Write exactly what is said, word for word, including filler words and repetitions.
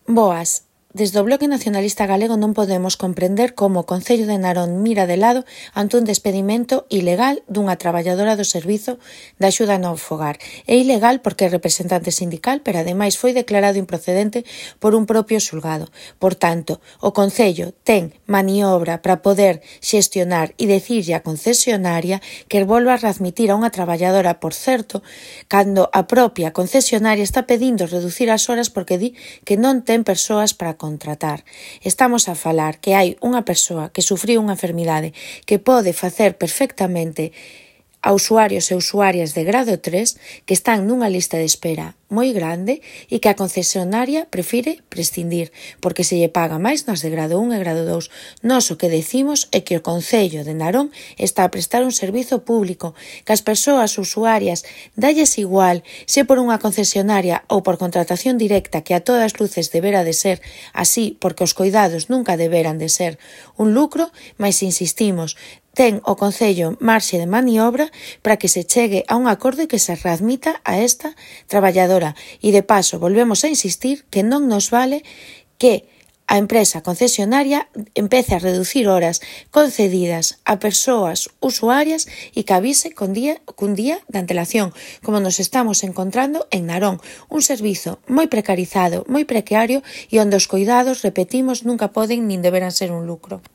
Boas. Desde o Bloque Nacionalista Galego non podemos comprender como o Concello de Narón mira de lado ante un despedimento ilegal dunha traballadora do Servizo de Axuda no Fogar. É ilegal porque é representante sindical, pero ademais foi declarado improcedente por un propio xulgado. Por tanto, o Concello ten maniobra para poder xestionar e decirlle á concesionaria que volva a readmitir a unha traballadora, por certo, cando a propia concesionaria está pedindo reducir as horas porque di que non ten persoas para contratar. Estamos a falar que hai unha persoa que sufriu unha enfermidade que pode facer perfectamente a usuarios e usuarias de grado tres que están nunha lista de espera moi grande e que a concesionaria prefire prescindir porque se lle paga máis nas de grado un e grado dous. Nós o que decimos é que o Concello de Narón está a prestar un servizo público, que as persoas usuarias dalles igual se por unha concesionaria ou por contratación directa, que a todas luces debera de ser así porque os coidados nunca deberan de ser un lucro, mas insistimos, ten o Concello marxe de maniobra para que se chegue a un acordo e que se readmita a esta traballadora. E de paso, volvemos a insistir que non nos vale que a empresa concesionaria empece a reducir horas concedidas a persoas usuarias e que avise con día, cun día de antelación, como nos estamos encontrando en Narón, un servizo moi precarizado, moi precario e onde os coidados, repetimos, nunca poden nin deberan ser un lucro.